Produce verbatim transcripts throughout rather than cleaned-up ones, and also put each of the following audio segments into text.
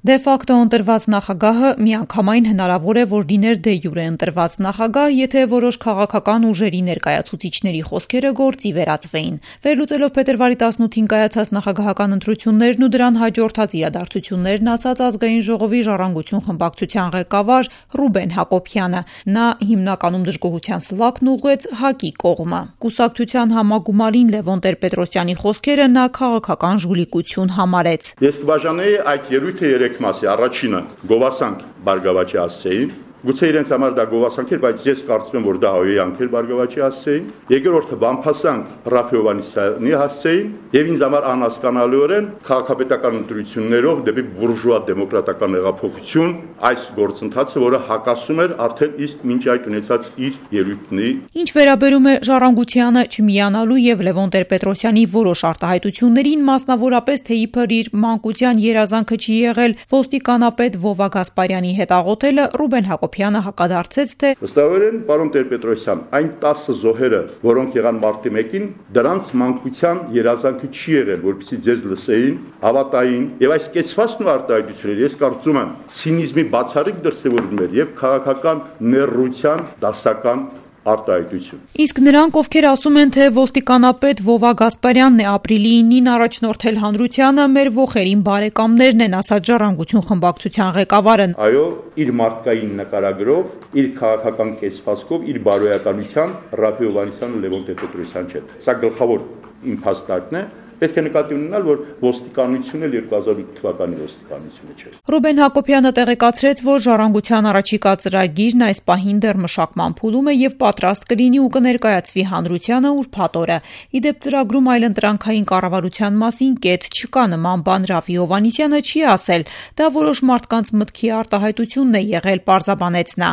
Դե ֆակտո ընտրված նախագահը միանգամայն հնարավոր է, որ լիներ դե յուրե ընտրված նախագահ, եթե որոշ քաղաքական ուժերի ներկայացուցիչների խոսքերը գործի վերածվեին։ Վերլուծելով փետրվարի տասնութին կայացած նախագահական ընտրություններն ու դրան հաջորդած իրադարձություններն, ասաց Ազգային ժողովի Ժառանգություն խմբակցության ղեկավար Ռուբեն Հակոբյանը, նա հիմնականում դժգոհության սլաքն ուղղեց ՀԱԿ-ի կողմը։ Կուսակցության համագումարին Լևոն Տեր-Պետրոսյանի խոսքերը նա քաղաքական ժուլիկություն համարեց։ Ես կբաժանեի այդ ելույթը երեք մասի։ Առաջինը գովասանք Բարգավաճի հասցեին, գուցե իրենց համար դա գովասանք էր, բայց ես կարծում եմ, որ դա հայոյանք էր Բարգավաճի հասցեին։ Երկրորդը բամփասանք Ռաֆի Հովհաննիսյանի հասցեին եւ ինձ համար անհասկանալիորեն քաղաքապետական ընտրություններով դեպի բուրժուա դեմոկրատական հեղափոխություն այս գործընթացը, որը հակասում էր արդեն իսկ մինչ այդ ունեցած իր ելույթների։ Ինչ վերաբերում է Ժառանգությանը չմիանալու եւ Լևոն Տեր-Պետրոսյանի որոշ արտահայտություններին, մասնավորապես թե իբր իր մանկության երազանքը չի եղել ոստիկանապետ Վովա Գասպարյանի հետ աղոթելը, Ռուբեն Հակոբյանը հակադարձեց, թե վստահորեն պարոն Տեր-Պետրոսյան, այն տասը զոհերը, որոնք եղան մարտի մեկին, դրանց մանկության երազանքը չի եղել, որպեսզի ձեզ լսեին, հավատային, եւ այս կեցվածքն ու արտահայտությունները ես կարծում եմ ցինիզմի բացառիկ դրսևորում էր եւ քաղաքական ներռության դասական արտահայտություն։ Իսկ նրանք, ովքեր ասում են, թե ոստիկանապետ Վովա Գասպարյանն է ապրիլի ինին առաջնորդել հանրությանը, մեր ոխերին բարեկամներն են, ասաց Ժառանգություն խմբակցության ղեկավարը։ Այո, իր մարդկային նկարագրով, իր քաղաքական կեցվածքով, իր բարոյականությամբ Ռաֆի Հովհաննիսյանը Լևոն Տեր-Պետրոսյան չէ։ Սա գլխավոր իմ փաստարկն է։ Պետք է նկատի ունենալ, որ ոստիկանությունը երկու հազար ութ թվականի ոստիկանությունը չէ։ Ռուբեն Հակոբյանը տեղեկացրեց, որ Ժառանգության առաջիկա ծրագիրն այս պահին դեռ մշակման փուլում է եւ պատրաստ կլինի ու կներկայացվի հանրությանը ուրբաթ օրը։ Իդեպ ծրագրում այլընտրանքային կառավարության մասին կետ չկա, նման բան Ռաֆի Հովհաննիսյանը չի ասել։ Դա որոշ մարդկանց մտքի արտահայտությունն է եղել, պարզաբանեց նա։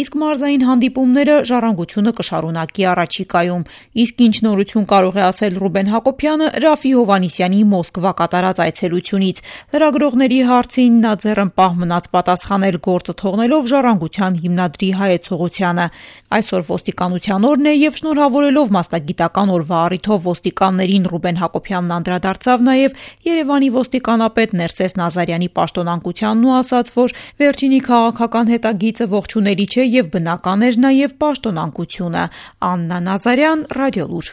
Իսկ մարզային հանդիպումները Ժառանգությունը կշարունակի առաջիկայում։ Իսկ ինչ նորություն կարող է ասել Ռուբեն Հակոբյանը Ռաֆի Հովհաննիսյանի Մոսկվա կատարած այցելությունից։ Լրագրողների հարցին նա ձեռնպահ մնաց պատասխանել, գործը թողնելով Ժառանգության հիմնադրի հայեցողությանը։ Այսօր ոստիկանության օրն է եւ շնորհավորելով մասնագիտական օրվա առիթով ոստիկաններին Ռուբեն Հակոբյանն անդրադարձավ նաեւ Երևանի ոստիկանապետ Ներսես Նազարյանի պաշտոնանկությանն ու ասաց, որ վերջինի քաղաքական հետագիծը ողջունելի չէ եւ բնական էր նաեւ պաշտոնանկությունը։ Աննա Նազարյան, Ռադիոլուր։